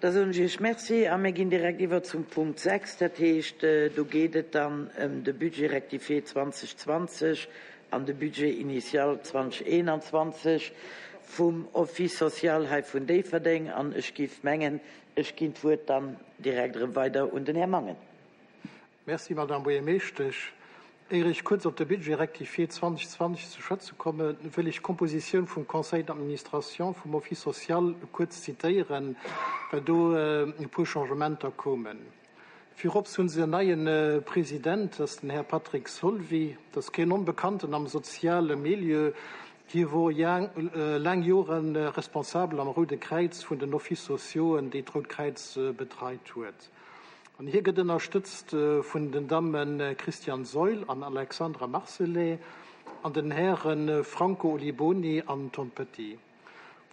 Da soen ech Iech Merci a mir ginn direkt iwwer zum Punkt 6. Dat heescht, do geet et dann ëm de Budget rectifié 2020 an de Budget initial 2021 vum Office social hei vun Déifferdeng. An ech géif mengen, ech ginn d'Wuert dann direkt erëm weider un den Här Mangen. Merci, Madame Buergermeeschtesch. Éier ech kuerz op de Budget rectifié 2020 ze schwätze kommen, wëll ech d'Kompositioun vum Conseil d'administration vum Office social kuerz zitéieren, well do e puer Changementer koumen. Virops hu se en neie President, dat ass den Här Patrick Solvy. Dat ass keen Onbekannten am soziale Milieu. Hie wor laang Jore Responsabel am Roude Kräiz vun den Offices sociauxen, déi d'Rout Kräiz betreit huet. An hie gëtt ënnerstëtzt vun den Damme Christiane Seul an Alexandra Marcelet an den Häre Franco Oliboni an Tom Petty,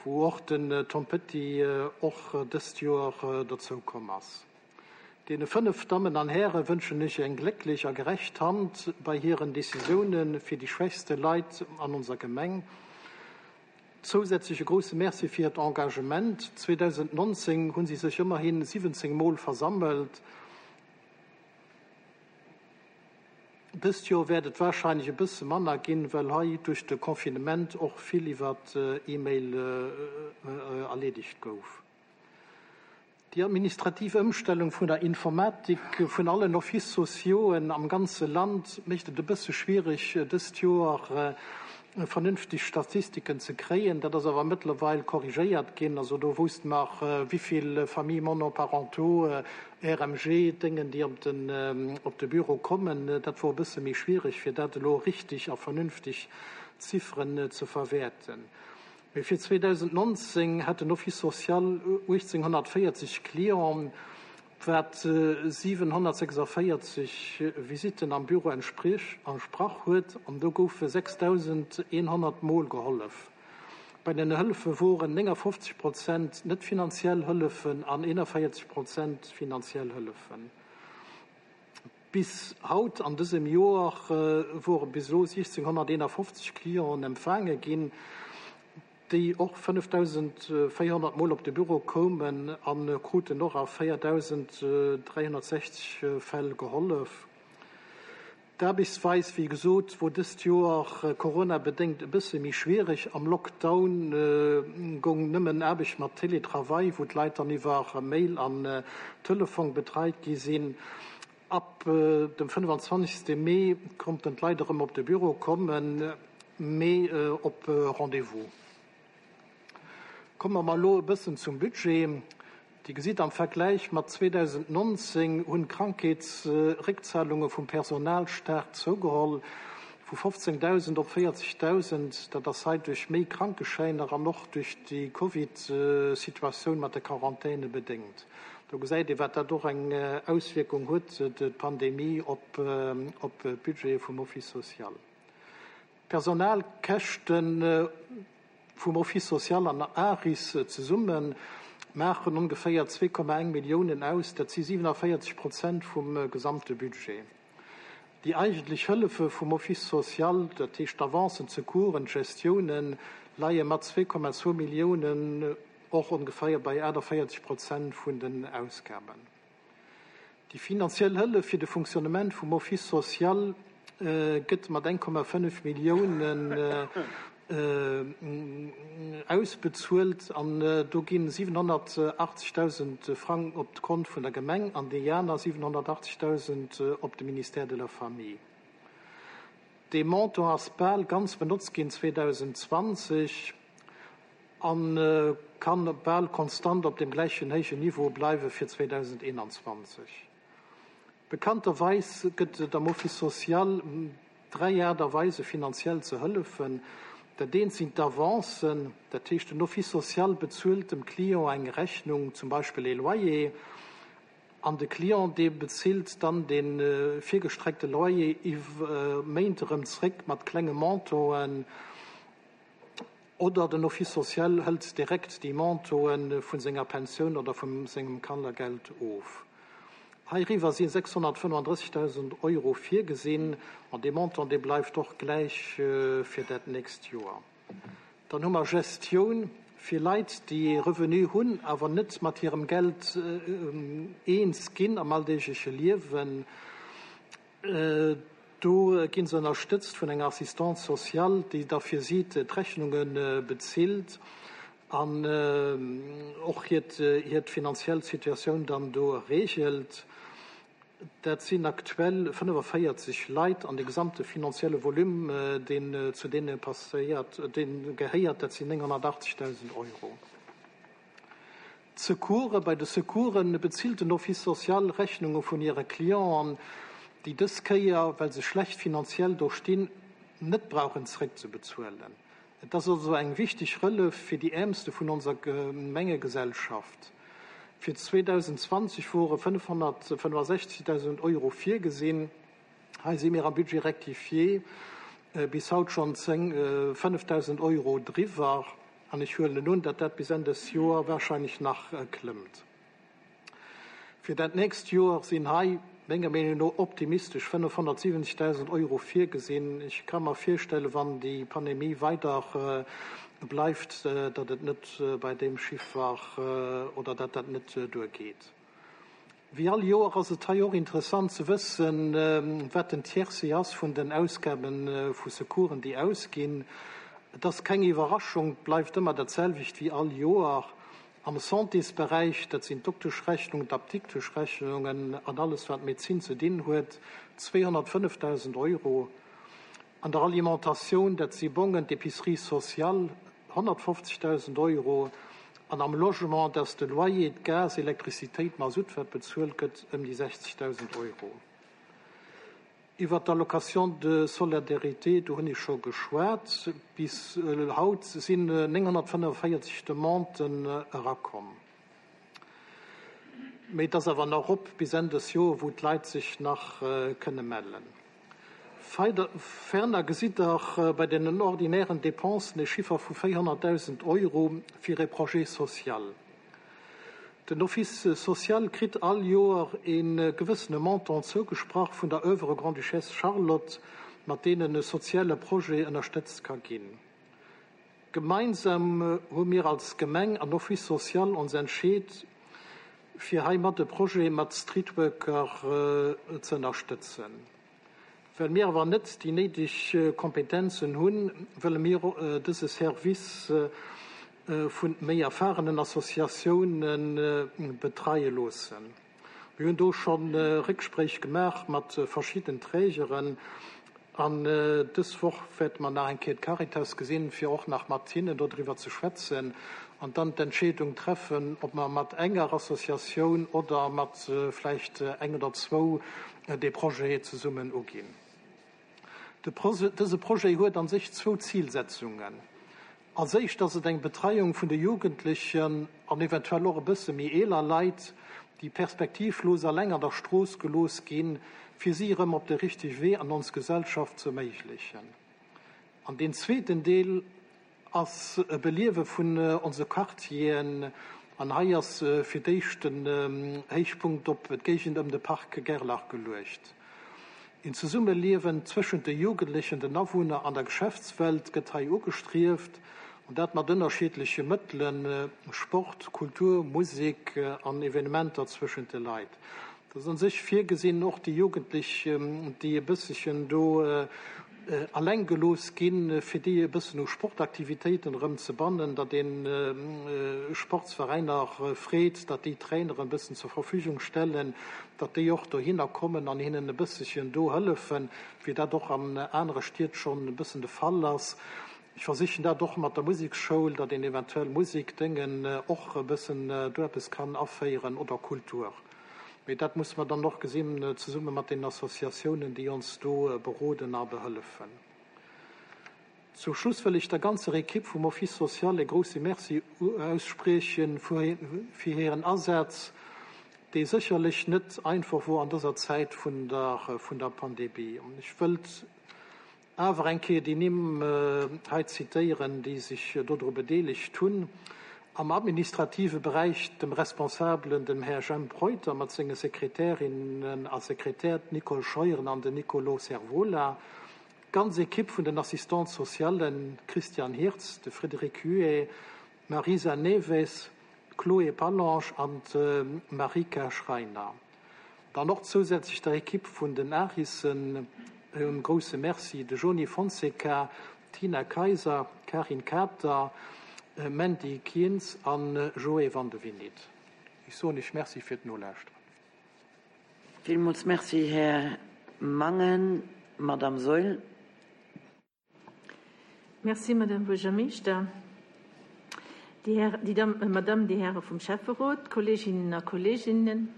wou och den Tom Petty och dëst Joer dozou komm ass. Deene 5 Dammen an Häre wënschen ech eng glécklech a gerecht Hand bei hiren Decisioune fir déi schwächste Leit an onser Gemeng. Zousätzlech e grousse Merci fir hiert Engagement. 2019 hunn si sech ëmmerhi 17 Mol versammelt. Dëst Joer wäert et warscheinlech e bësse manner ginn, well hei duerch de Confinement och vill iwwer E-Mail erleedegt gouf. Déi administrativ Ëmstellung vun der Informatik vun allen Offices sociauxen am ganze Land mécht et e bësse schwiereg, dëst Joer vernünfteg Statistiken ze kréien. Dat ass awer mëttlerweil korrigéiert ginn. Also do wousste mer, wéi vill Familles monoparentaux, RMG, Déngen, déi op de Büro kommen. Dat wor e bësse méi schwiereg, fir dat elo richtig a vernünfteg Zifferen ze verwäerten. Mee fir 2019 hat den Office social 1.840 Clienten, wat 746 Visitten am Büro entsprach huet, an do goufe 6.100 Mol gehollef. Bei den Hëllefe woren 59 Prozent net finanziell Hëllefen an 41 Prozent finanziell Hëllefen. Bis haut an dësem Joer wore bis elo 1.651 Clienten empfaange ginn, déi och 5.400 Mol op de Büro koumen a kruten och a 4.360 Fäll gehollef. D'Aarbechtsweis, wéi gesot, wor dëst Joer coronabedéngt e bësse méi schwiereg. Am Lockdown goung nëmmen Aarbecht mat Teletravail, wou d'Leit dann iwwer Mail an Telefong betreit gi sinn. Ab dem 25. Mee konnten d'Leit erëm op de Büro kommen, mee op Rendez-vous. Komme mer elo e bëssen zum Budget. Dir gesitt, am Vergläich mat 2019 hunn d'Krankheetsréckzahlunge vum Personal staark zougeholl, vu 15.000 op 40.000. Dat ass hei duerch méi Krankeschäiner an och duerch déi Covid-Situatioun mat de Quarantäne bedéngt. Do gesäit ee wat dat och eng Auswierkung huet, d'Pandemie, op d'Budgete vum Office social. D'Personalkäschte vum Office social an ARIS zesumme maachen ongeféier 2,1 Milliounen aus, dat si 47 Prozent vum gesamte Budget. Déi eigentlech Hëllefe vum Office social, dat heescht d'Avancen, d'Secoursen, d'Gestiounen, leie mat 2,2 Milliounen och ongeféier bei 48 Prozent vun den Ausgaben. Déi finanziell Hëllef fir de Fonctionnement vum Office social gëtt mat 1,5 Milliounen ausbezuelt an do ginn 780.000 Frang op d'Kont vun der Gemeng an déi aner 780.000 op de Ministère de la Famille. Dee Montant ass bal ganz benotzt ginn 2020 a kann bal konstant op deem gläichen héijen Niveau bleiwe fir 2021. Bekannterweis gëtt et am Office social 3 Aart a Weise finanziell ze hëllefen. Dat eent sinn d'Avancen, dat heescht den Office social bezuelt dem Client eng Rechnung, zum Beispill ee Loyer, an de Client dee bezilt dann dee virgestreckte Loyer iwwer Méint erëm zréck mat klenge Montanten. Oder den Office social hëlt direkt déi Montoe vu senger Pensioun oder vu sengem Kannergeld of. Heiriwwer si 635.000 Euro virgesinn, an dee Montant, dee bleift och gläich fir dat nächst Joer. Dann hu mer Gestioun. Fir Leit, déi ee Revenu hunn, awer net mat hirem Geld eens ginn am alldeegleche Liewen, do gi se ënnerstëtzt vun enger Assistante sociale, déi da fir si d'Rechnunge bezilt an och hiert finanziell Situatioun dann do reegelt. Dat sinn aktuell 45 Leit an de gesamte finanzielle Volume, deen zu deene passéiert, dee gehéiert, dat sinn 980.000 Euro. D'Secoursen, Bei de Secoursen bezilt den Office social Rechnunge vun hire Clienten, déi dës Kéier, well se schlecht finanziell do stinn, net brauchen zeréckzebezuelen. Et ass also eng wichteg Hëllef fir déi Äermste vun onser Gemengegesellschaft. Fir 2020 wore 565.000 Euro virgesinn. Hei si mir am Budget rectifié bis haut schonn 5.000 Euro driwwer an ech huelen un, datt dat bis Enn des Joer wahrscheinlech nach klëmmt. Fir dat nächst Joer sinn hei, menger Meenung no optimistesch, 570.000 Euro virgesinn. Ech ka mer virstellen, wann déi Pandemie weider bleift, datt et net bei deem Chiffer oder datt dat net duergeet. Wéi all Joer ass et hei och interessant ze wëssen, wat den Tiercé ass vun den Ausgabe vu Secoursen, déi ausginn. Et ass keng Iwwerraschung, et bleift ëmmer dat selwecht wéi all Joer. Am Santésberäich, dat sinn d'Dokteschrechnungen, d'Apdikteschrechnungen an alles wat Medezin ze dinn huet, 205.000 Euro. An der Alimentatioun, dat si Bongen, d'Épicerie sociale, 150.000 Euro. An am Logement, dat ass de Loyer, d'Gas, Elektrizitéit, Masutt, wat bezuelt gëtt, ëm déi 60.000 Euro. Iwwert d'Allocation de solidarité, do hunn ech scho geschwat. Bis haut sinn 945 Demanden erakomm. Mee et ass awer nach op bis Enn des Joer, wou d'Leit sech nach kënne mellen. Ferner gesitt Der bei den ordinären Dépensen e Chiffer vu 400.000 Euro fir e Projet social. Den Office social kritt all Joer e gewëssene Montant zougesprach vun der Oeuvre Grande-Duchesse Charlotte, mat deenen e soziale Projet ënnerstëtzt ka ginn. Gemeinsam hu mir als Gemeng an Office social ons entscheet, fir heimat e Projet mat Streetworker ze ënnerstëtzen. Well mir awer net déi néideg Kompetenzen hunn, wëlle mir dëse Service vu méi erfahrenen Associatioune betreie loossen. Mir hunn do scho Réckspréich gemaach mat verschidden Trägeren an dës Woch wäerte mer nach eng Kéier d'Caritas gesinn, fir och nach mat hinnen dodriwwer ze schwätzen an dann d'Entscheedung treffen, ob mer mat enger Associatioun oder mat vläicht eng oder zwou dee Projet zesummen uginn. Dëse Projet huet a sech zwou Zilsetzungen. Als éischt ass et eng Betreiung vun de Jugendlechen an eventuell och e bësse méi eeler Leit, déi perspektivlos alleng an der Strooss gelooss ginn, fir si erëm op de richtege Wee an ons Gesellschaft ze erméiglechen. An deen zweeten Deel ass e Beliewe vun onse Quartieren an hei ass fir d'éischt den Héichpunkt op d'Géigend ëm de Parc Gerlach geluecht. Een Zesummeliewen zwëschent de Jugendlechen, den Awunner an der Geschäftswelt gëtt hei ugestrieft, an dat mat ënnerschiddleche Mëttelen, Sport, Kultur, Musek an Evenementer zwëschent de Leit. Et ass un sech virgesinn, och déi Jugendlech, déi e bësselchen do eleng gelooss ginn, fir déi e bëssen u Sportaktivitéiten erëm ze bannen, datt ee Sportsveräiner freet, datt déi Traineren e bëssen zur Verfügung stellen, datt déi och dohinner kommen an hinnen e bësselchen do hëllefen, wéi dat och an anere Stied schonn e bëssen de Fall ass. Ech versichen dat och mat der Museksschoul, datt een eventuell Musekdéngen och e bëssen do eppes kann aféieren oder Kultur. Mee dat musse mer dann och gesinn, zesumme mat deenen Associatiounen, déi ons do beroden a behëllefen. Zum Schluss wëll ech der ganzer Ekipp vum Office social e grousse Merci aussprieche fir hiren Asaz, dee sécherlech net einfach wor an dëser Zäit vun der Pandemie. Ech wëllt Awer eng Kéier déi Nimm hei zitéieren, déi sech dodru bedeelegt hunn, Am administrative Beräich dem Responsabelen, dem Här Jemp Reuter mat senge Sekretärinnen a Sekretär, d'Nicole Scheuren an den Nicolo Servola, d'ganz Ekipp vun den Assistantes socialen, Christian Hirtz, de Frédéric Huet. d'Marisa Neves, d'Chloé Pallange an d'Marika Schreiner. Dann och zousätzlech der Ekipp vun den ARISen e grousse Merci, de Joni Fonseca, d'Tina Kayser, Karin Kater, Mandy Kientz an Joé Vandevinit. Ech soen Iech Merci fir d'Nolauschteren. Villmools Merci, Här Mangen. Madamm Saeul. Merci, Madame Buergermeeschter. Déi Här, déi Damm, Madame, déi Häre vum Schäfferot, Kolleeginnen a Kolleeginnen,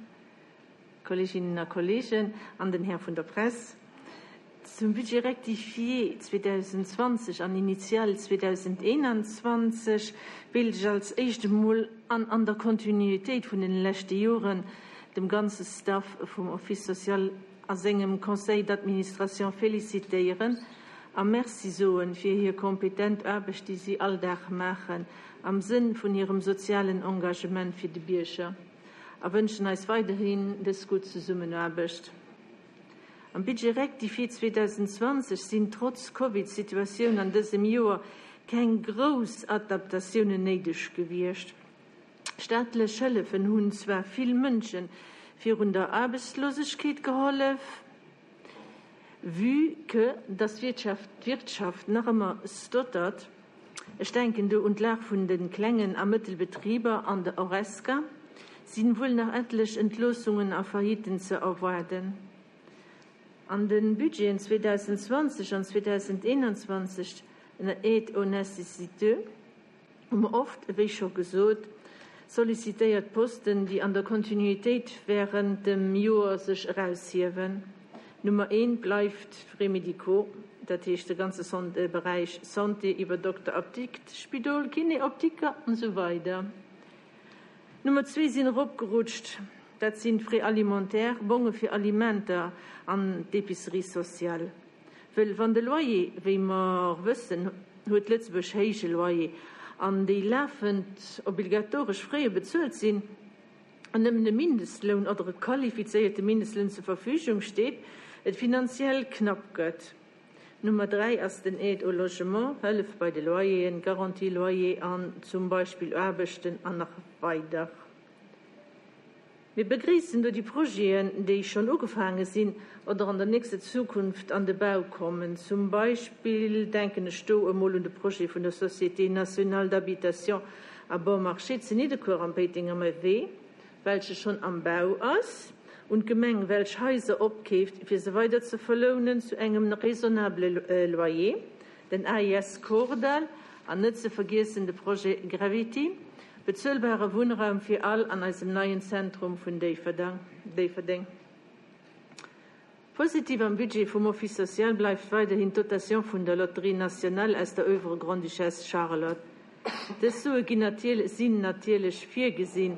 Kolleeginnen a Kolleegen an den Här vun der Press. Zum Budget rectifié 2020 an initial 2021 wéilt ech als éischt emol an an der Kontinuitéit vun den leschte Joren dem ganze Staff vum Office social a sengem Conseil d'administration félicitéieren a Merci soen fir hir kompetent Aarbecht déi si all Dag maachen am Sënn vun hirem sozialen Engagement fir de Bierger a wënschen eis weiderhin dës gutt Zesummenaarbecht. Am Budget rectifié 2020 sinn trotz Covid-Situatioun an dësem Joer keng grouss Adaptatiounen néideg gewiescht. Staatlech Hëllefen hunn zwar vill Mënsche virun der Aarbechtslosegkeet gehollef, vue que dass d'Wirtschaft nach ëmmer stottert, ech denken do un d'Lag vun de klengen a Mëttelbetriber an der Horesca, sinn wuel nach etlech Entloossungen a Failliten ze erwaarden. An de Budgeten 2020 an 2021 ënner Aide aux nécessiteux hu mer oft, ewéi scho gesot, sollicitéiert Posten, déi an der Kontinuitéit während dem Joer sech eraushiewen. Nummer eent bleift d'Frais médicaux, dat heescht de ganze Beräich Santé iwwer Dokter, Apdikt, Spidol, Kiné, Optiker an esou weider. Nummer zwee sinn eropgerutscht, dat sinn d'Frais alimentaires, Bonge fir Alimenter an d'Épicerie sociale. Wëll wann de Loyer, wéi mer wëssen, huet Lëtzebuerg héije Loyer, an déi lafend obligatoresch Fraie bezuelt sinn, an nëmmen e Mindestloun oder e qualifizéierte Mindestloun zur Verfügung steet, et finanziell knapp gëtt. Nummer 3 ass den Aide au logement, Hëllef bei de Loyeren, Garantie loyer an zum Beispill Aarbechten an nach weider. Mir begréissen do déi Projeten, déi schonn ugefaange sinn oder an der nächster Zukunft an de Bau kommen. Zum Beispill denken ech do emol un de Projet vun der Société nationale d'habitation à bon marché zu Nidderkuer am Péitenger Wee, welche schonn am Bau ass, un d'Gemeng, welch Haiser opkeeft, fir se weider ze verlounen zu engem raisonnable Loyer, den AIS Kordall an net ze vergiessen de Projet Gravity, Bezuelbare Wunnraum fir all an eisem neien Zentrum vun Déifferdeng. Positiv am Budget vum Office social bleift weiderhin d'Dotation vun der Loterie nationale aus der Oeuvre Grande-Duchesse Charlotte. Dës Sue ginn sinn natierlech virgesinn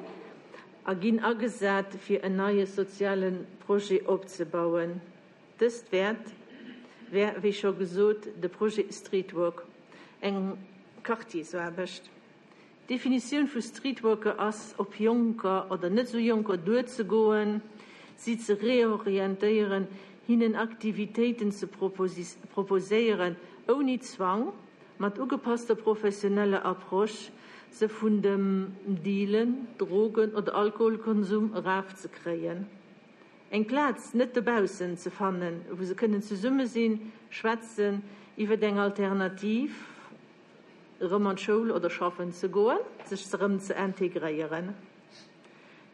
a ginn agesat, fir en neie soziale Projet opzebauen. Dëst wäert, wär, wéi scho gesot, de Projet Streetwork, eng Quartiersaarbecht. D'Definitioun vu Streetworker ass, op Jonker oder net esou Jonker duerzegoen, si ze reorientéieren, hinnen Aktivitéiten ze proposéieren, ouni Zwang, mat ugepasster professioneller Approche, se vun dem Dealen, Drogen oder Alkoholkonsum erafzekréien. Eng Plaz net dobaussen ze fannen, wou se kënnen zesumme sinn, schwätzen iwwert eng Alternativ, erëm an d'Schoul oder schaffen ze goen, sech erëm ze integréieren.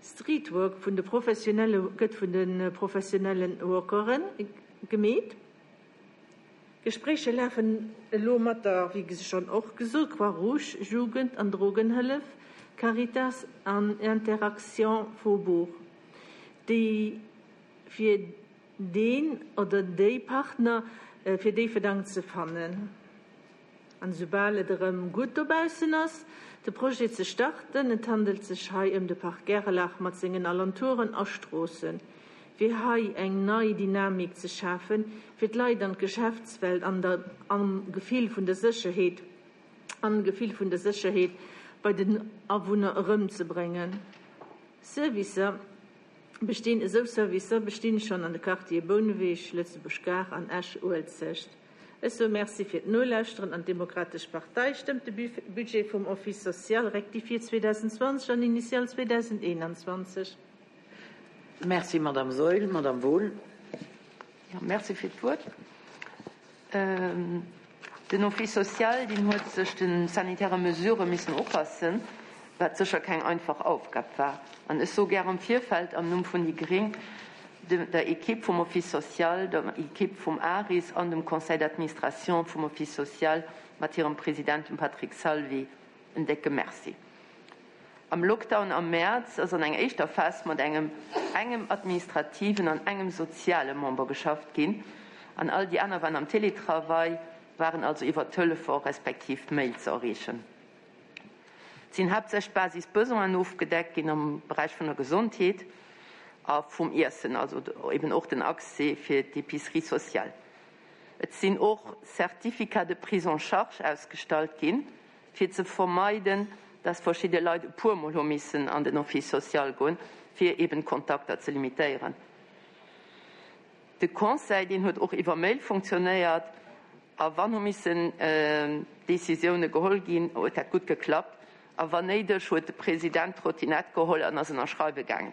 Streetwork vun de professionelle gëtt vun de professionelle Workere gemeet. Gespréicher lafen elo mat der, wéi schonn och gesot, Croix-Rouge, Jugend an Drogenhëllef, Caritas an Interaction Faubourg, déi fir deen oder déi Partner fir Déifferdang ze fannen. An esoubal et erëm gutt dobaussen ass, de Projet ze starten, et handelt sech hei ëm de Parc Gerlach mat sengen Alentouren a Stroossen, fir hei eng nei Dynamik ze schafen, fir d'Leit an d'Geschäftswelt an der am Gefill vun der Sécherheet an Gefill vun der Sécherheet bei den Awunner erëmzebréngen. Servicer bestinn Esou Servicer bestinn schonn an de Quartiere Bouneweg, Lëtzebuerg Gare an Esch-Uelzecht. Ech soe Merci fir d'Nolauschteren an d'Demokratesch Partei stëmmt de Budget vum Office social rectifié 2020 an initial 2021. Merci, Madame Saeul. Madame Wohl. Jo, merci fir d'Wuert. Den Office social, deen huet sech de sanitäre Mesurë missen upassen, wat sécher keng einfach Aufgab war. An ech soe gär am Virfeld am Numm vun déi gréng der Equipe vum Office social, der Equipe vum ARIS an dem Conseil d'administration vum Office social mat hirem President, dem Patrick Salvi, en décke Merci. Am Lockdown am Mäerz ass an enger éischter Phas mat engem engem administrativen an engem soziale Member geschafft ginn an all déi aner waren am Télétravail, waren also iwwer Telefon respektiv Mail ze erreechen. Et sinn haaptsächlech Basisbesoinen ofgedeckt ginn am Beräich vun der Gesondheet a vum Iessen, also eben och den Accès fir d'Épicerie sociale. Et sinn och Certificats de prise en charge ausgestallt ginn, fir ze vermeiden, dass verschidde Leit e puermol hu missen an den Office social goen, fir eben d'Kontakter ze limitéieren. De Conseil, deen huet och iwwer Mail funktionéiert, a wann hu missen Décisioune geholl ginn, huet dat gutt geklappt, a wann néideg, huet de President d'Trottinette geholl an ass ënnerschreiwe gaangen.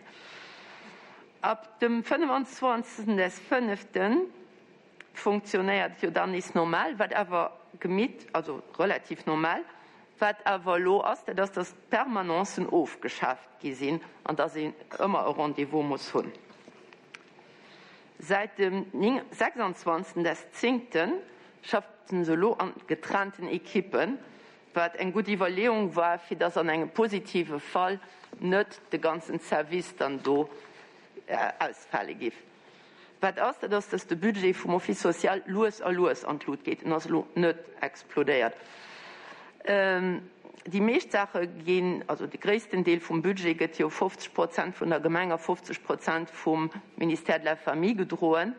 Ab dem 25. des fënneften funktionéiert jo dann nees normal, wat awer gemitt, also relativ normal, wat awer elo ass, dat ass, dass d'Permanencen ofgeschaaft gi sinn an dass een ëmmer e Rendez-vous muss hunn. Säit dem 26. des zéngten schaffen se elo an getrennten Ekippen, wat eng gutt Iwwerleeung war, fir dass an engem positive Fall net de ganzen Service dann do ausfale giff. Wat ass, dat ass, dass de Budget vum Office social lues a lues an d'Lut geet. En ass elo net explodéiert. Déi meescht Saache ginn, also de gréissten Deel vum Budget gëtt jo 50 Prozent vun der Gemeng a 50 Prozent vum Ministère de la Famille gedroen.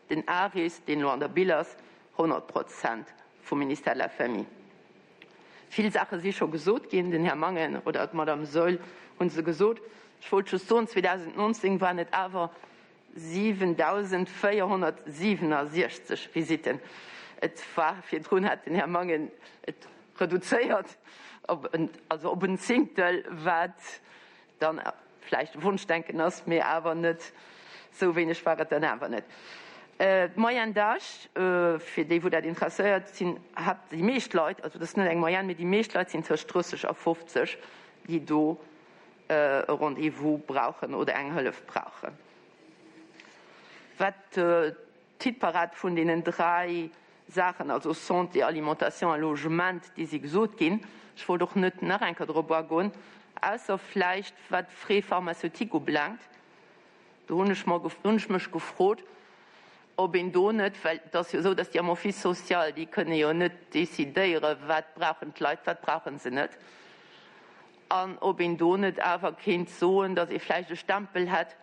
Den ARIS, deen elo an der Bille ass, 100 Prozent vum Ministère de la Famille. Vill Saache si scho gesot ginn, den Här Mangen oder d'Madame Saeul hu se gesot. Ech wollt just soen, 2019 waren et awer 7.467 Visitten. Et war virdrun, hat den Här Mangen et reduzéiert op en, also op en Zéngtel, wat dann vläicht Wonschdenken ass, mee awer net esou wéineg war et dann awer net. D'Moyenne d'âge, fir déi wou dat interesséiert, sinn haapt déi meescht Leit, also dat ass net eng Moyenne, mee déi meescht Leit sinn tëscht 30 a 50, déi do e Rendez-vous brauchen oder eng Hëllef brauchen. Wat d'Hitparad vun deenen 3 Saachen, also Santé, Alimentation a Logement, déi si gesot ginn. Ech wollt och net nach eng Kéier drop agoen, ausser vläicht wat d'Frais pharmaceutiques ubelaangt. Do hunn ech mer, hunn ech mech gefrot, ob een do net, well et ass jo esou, datt déi am Office social, déi kënne jo net decidéieren, wat brauchen d'Leit, wat brauche se net, an ob een do net awer kéint soen, datt ee vläicht e Stempel hätt,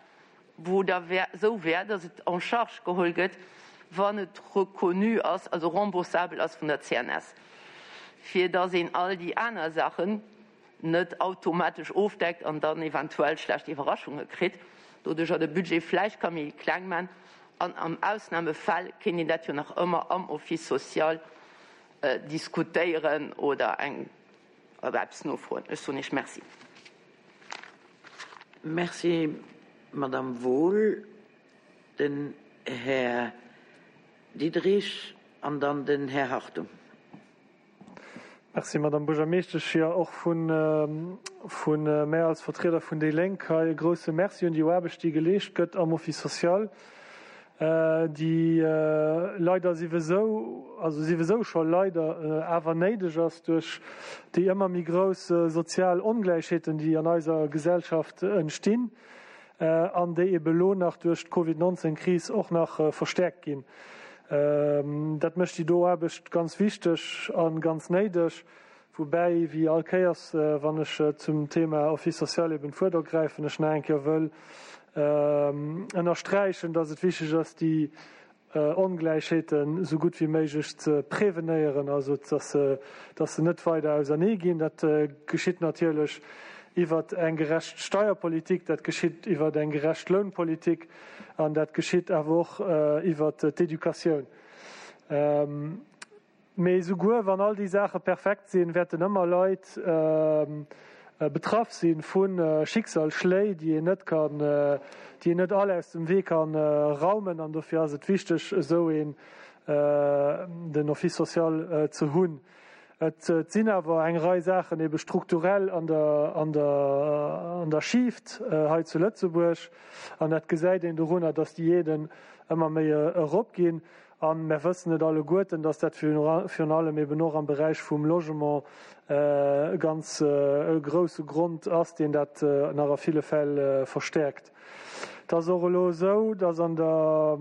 wou da wär, esou wär, datt et en charge geholl gëtt, wann et reconnu ass, also remboursabel ass vun der CNS, fir datt een all déi aner Saachen net automatesch ofdeckt an dann eventuell schlecht Iwwerraschunge kritt, doduercher de Budget vläicht ka méi kleng man an am Ausnahmefall kéint een dat jo nach ëmmer am Office social diskutéieren oder eng eppes nofroen. Ech soen Iech Merci. Merci, Madame Wohl. Den Här Diderich an dann den Här Hartung. Merci, Madame Buergermeeschtesch. Jo, och vu mär als Vertrieder vun déi Lénk hei e grouse Merci un déi Aarbecht, déi geleescht gëtt am Office social, déi leider siwesou, also siwesou scho leider, awer néideg ass duerch déi ëmmer méi grouss sozial Ongläichheeten, déi an eiser Gesellschaft entstinn an déi ebe lo nach duerch d'Covid 19 Kris och nach verstäerkt ginn. Dat mécht déi do Aarbecht ganz wichteg a ganz néideg. Woubäi, wéi all Kéiers, wann ech zum Thema Office social eben d'Wuert ergräifen, ech nach eng Kéier wëll ënnersträichen, dass et wichteg ass, déi Ongläichheeten esou gutt wéi méiglech ze prevenéieren, also dass se, dass se net weider ausernee ginn. Dat geschitt natierlech iwwert eng gerecht Steierpolitik, dat geschitt iwwert eng gerecht Lounpolitik an dat geschitt awer och iwwert d'Educatioun. Mee souguer wann all déi Saache perfekt sinn, wäerten ëmmer Leit betraff si vu Schicksalsschléi, déi een net kann, déi een net all aus dem Wee ka raumen. An dofir ass et wichteg, esou een, den Office social ze hunn. Et sinn awer eng Rei Saachen ebe strukturell an der, an der, an der Schieft hei zu Lëtzebuerg. An dat gesäit een dorunner, dass déi Aiden ëmmer méi eropginn. A mer wëssen et alleguerten, dass dat virun allem eben och am Beräich vum Logement e ganz grouse Grond ass, deen dat nach a ville Fäll verstärkt. Et ass och elo esou, dass an der,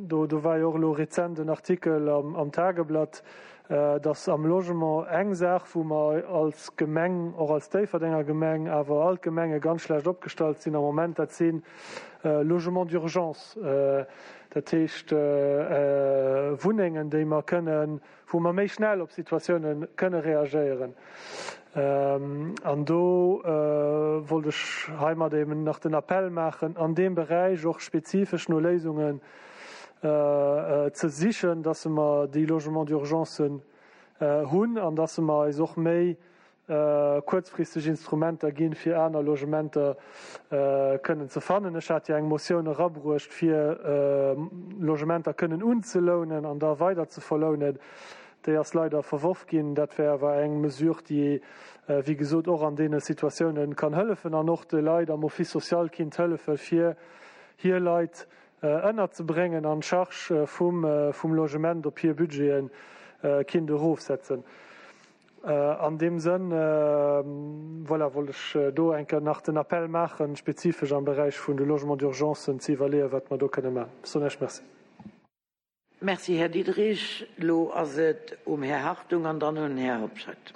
do do war jo och elo rezent en Artikel am Tageblatt, dass am Logement eng Saach, wou mer als Gemeng, och als Déifferdenger Gemeng, awer all d'Gemenge ganz schlecht opgestallt sinn am Moment, dat si Logements d'urgence, dat heescht Wunnengen, déi mer kënnen, wou mer méi schnell op Situatioune kënne reagéieren. An do wollt ech heimat eben nach den Appell maachen, an deem Beräich och spezifesch no Léisungen ze sichen, dass mer déi Logements d'urgencen hunn an dass mer eis och méi kuerzfristeg Instrumenter ginn, fir aner Logementer kënnen ze fannen. Ech hat jo eng Motioun erabruecht, fir Logementer kënnen unzelounen an da weider ze verlounen. Déi ass leider verworf ginn. Dat wär awer eng Mesure, déi, wéi gesot, och an deene Situatiounen kann hëllefen an och de Leit am Office social kinnt hëllefen, fir hir Leit ënnerzebréngen an d'Charge vum Logement op hir Budgete kinnt erofsetzen. An deem Sënn, voilà, wollt ech do eng Kéier nach den Appell maachen, spezifesch am Beräich vun de Logements d'urgencen ze iwwerleeën, wat mer do kënne maachen. Ech soen Iech Merci. Merci, Här Diderich. Elo ass et um Här Hartung an dann un den Här Hobscheit.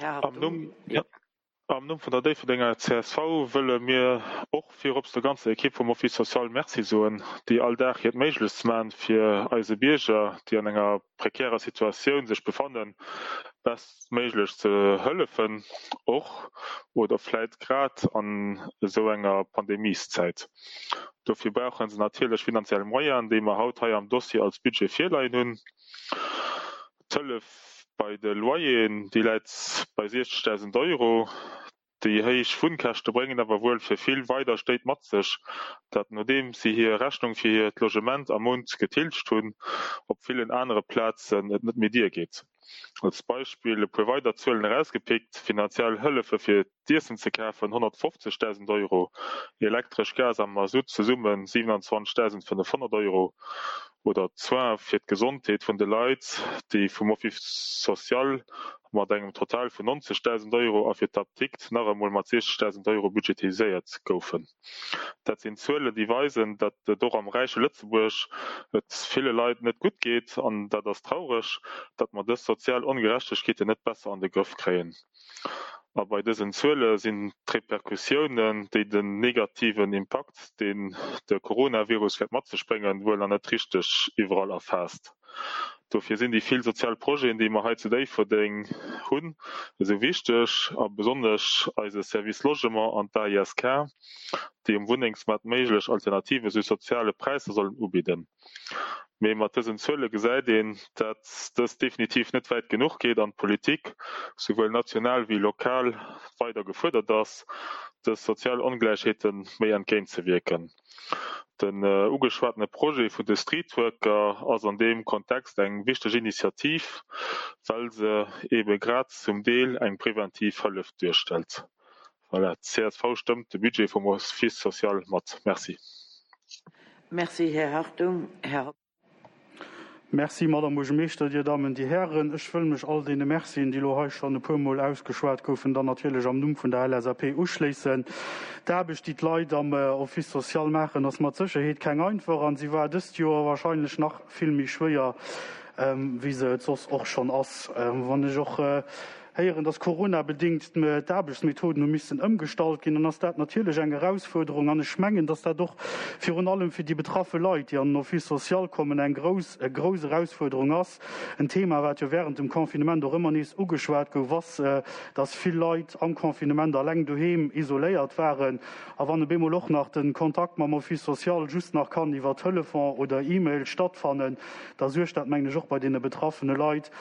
Här Hartung. Am Numm vun der Déifferdenger csv wëlle mir och virops der ganzer Ekipp vum Office social Merci soen, déi all Dag hiert Méiglechst man, fir eise Bierger, déi an enger prekärer Situatioun sech befannen, bestméiglech ze hëllefen, och oder vläit grad an esou enger Pandemieszäit. Dofir brauche se natierlech finanziell Moyenen, déi mer haut hei am Dossier als Budget virleien hunn. D'Hëllef bei de Loyeren, déi läit bei 60.000 Euro. Déi héich Wunnkäschte bréngen awer wuel fir vill weider Stéit mat sech, dat nodeem si hir Rechnung fir hiert Logement am Mount getilgt hunn, op villen anere Plazen et net méi diergeet. Als Beispill e puer weider Zuelen erausgepickt, Finanziell Hëllefe fir d'Iessen ze kafen 150.000 Euro, Elektresch, Gas a Masutt zesumme 27.500 Euro oder d'Soins fir d'Gesondheet vun de Leit, déi vum Office social mat engem Total vun 90.000 Euro a fir d'Apdikt nach emol mat 60.000 Euro budgetiséiert goufen. Dat sinn Zuelen, déi weisen, datt et och am räiche Lëtzebuerg et ville Leit net gutt geet an dat ass traureg, datt mer dës sozial Ongerechtegkeeten net besser an de Grëff kréien. A bei dësen Zuele sinn d'Repercussiounen, déi den negativen Impakt, deen de Coronavirus wäert mat sech bréngen, wuel nach net richteg iwwerall erfaasst. Dofir sinn déi vill sozial Projeten, déi mer hei zu Déifferdeng hunn, esou wichteg, a besonnesch eise Service Logement an d'AISK, déi um Wunnengsmaart méiglech Alternative zu soziale Präisser sollen ubidden. Mee mat dësen Zuele gesäit een, dat dëst definitiv net wäit genuch geet an d'Politik, souwuel national wéi lokal, weider gefuerdert ass, dës sozial Ongläichheete méi entgéint ze wierken. Den ugeschwatene Projet vun de Streetworker ass an deem Kontext eng wichteg Initiativ, well se eebe grad zum Deel eng preventiv Hëllef duerstellt. Voilà, d'CSV stëmmt de Budget vum Office social mat. Merci. Merci, Här Hartung. Här Hoffmann. Merci, Madame Buergermeeschter, Dir Dammen, Dir Hären. Ech wëll mech all deene Mercien, déi elo hei schonn e puermol ausgeschwat goufen, dann natierlech am Numm vun der LSAP uschléissen. D'Aarbecht, déi d'Leit am Office social maachen, ass mat Sécherheet keng einfach a si war dëst Joer wahrscheinlech nach vill méi schwéier, wéi se et soss och schonn ass. Wann ech och. héieren, dass coronabedéngt d'Aarbechtsmethoden hu missen ëmgestallt ginn, dann ass dat natierlech eng Erausfuerderung. An ech mengen, dass dat och virun allem fir déi betraffe Leit, déi an den Office social kommen, eng grouss, grouss Erausfuerderung ass. En Thema, wat jo während dem Confinement och ëmmer nees ugeschwat gouf, ass, dass vill Leit am Confinement alleng doheem isoléiert waren. A wann op eemol och nach de Kontakt mam Office social just nach kann iwwer Telefon oder E-Mail stattfannen, da suergt dat, mengen ech, och bei deene betraffene Leit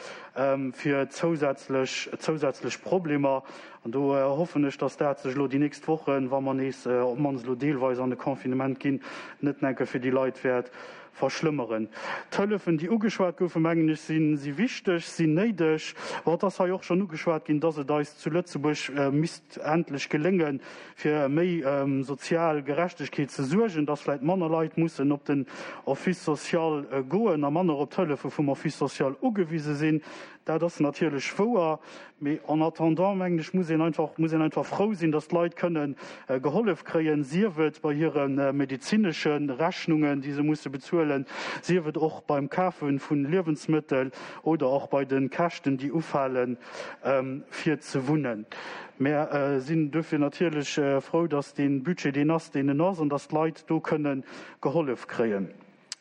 fir zousätzlech, zousätzlech Problemer. An do hoffen ech, dass dat sech elo déi nächst Wochen, wa mer nees op d'mannst elo deelweis an de Confinement ginn, net enke fir déi Leit wäert verschlëmmeren. D'Hëllefen, déi ugeschwat goufen, mengen ech, si si wichteg, sinn néideg. Bon, et ass hei och schonn ugeschwat ginn, dass et eis zu Lëtzebuerg misst endlech geléngen, fir méi sozial Gerechtegkeet ze suergen, dass vläicht manner Leit mussen op den Office social goen a manner op d'Hëllefe vum Office social ugewise sinn. Dat ass natierlech wouer, mee en attendant, mengen ech, muss een einfach, muss een einfach frou sinn, dass d'Leit kënnen gehollef kréien, sief et bei hire medezinesche Rechnungen, déi se musse bezuelen, sief et och beim Kafe vu Liewensmëttel oder och bei de Käschten, déi ufalen, fir ze wunnen. Mär sinn duerfir natierlech frou, dass dee Budget deen ass, deen en ass, an dass d'Leit do kënne gehollef kréien.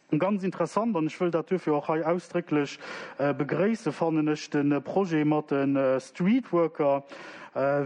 Ganz interessant, an ech wëll dat duerfir och hei ausdrécklech begréissen, fannen ech de Projet mat de Streetworker.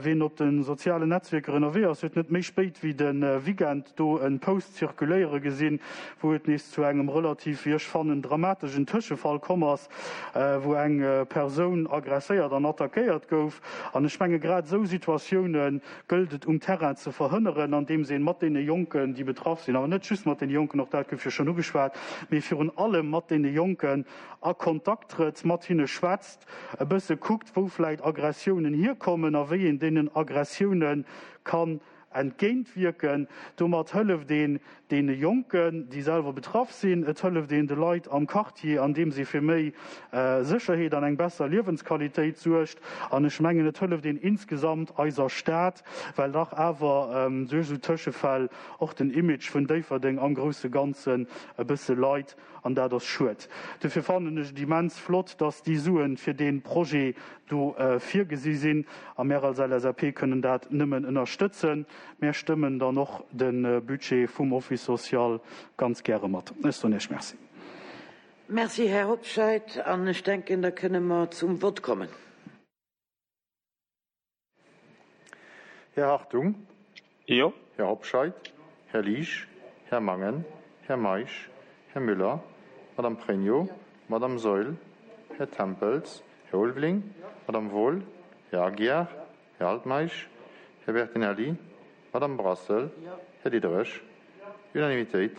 Ween op de sozialen Netzwierker ënnerwee ass, huet net méi spéit wéi de Weekend do e Post zirkuléiere gesinn, wou et nees zu engem relativ, wéi ech fannen, dramateschen Tëschefall komm ass, wou eng Persoun agresséiert an attackéiert gouf. An ech menge grad esou Situatioune gëllt et um Terrain ze verhënneren, andeems ee mat deene Jonken, déi betraff sinn, awer net just mat deene Jonken, och dat gouf jo schonn ugeschwat, mee virun allem mat deene Jonken a Kontakt trëtt, mat hinne schwätzt, e bësse kuckt, wou vläicht Aggressiounen hierkommen a wéi een deenen Aggressioune kann entgéintwierken. Domat hëlleft een deene Jonken, déi selwer betraff sinn. Et hëlleft een de Leit am Quartier, andeems ee fir méi Sécherheet an eng besser Liewensqualitéit suergt. An ech mengen, et hëlleft een insgesamt eiser Stad, well dach awer duerch esou Tëschefäll och den Image vun Déifferdeng am grousse Ganzen e bësse leit. An dat ass schued. Dofir fannen ech et immens flott, dass déi Suen fir dee Projet do virgesi sinn. A mär als LSAP kënnen dat nëmmen ënnerstëtzen. Mär stëmmen dann och de Budget vum Office social ganz gäre mat. Ech soen Iech Merci. Merci, Här Hobscheit. An ech denken, da kënne mer zum Vott kommen. Här Hartung. Jo. Här Hobscheit. Här Liesch. Här Mangen. Här Meisch. Här Müller. Madame Pregno. Madame Saeul. Här Tempels. Här Ulveling. Madame Wohl. Här Aguiar. Här Altmeisch. Här Bertinelli. Madame Brassel. Här Diderich. Unanimitéit.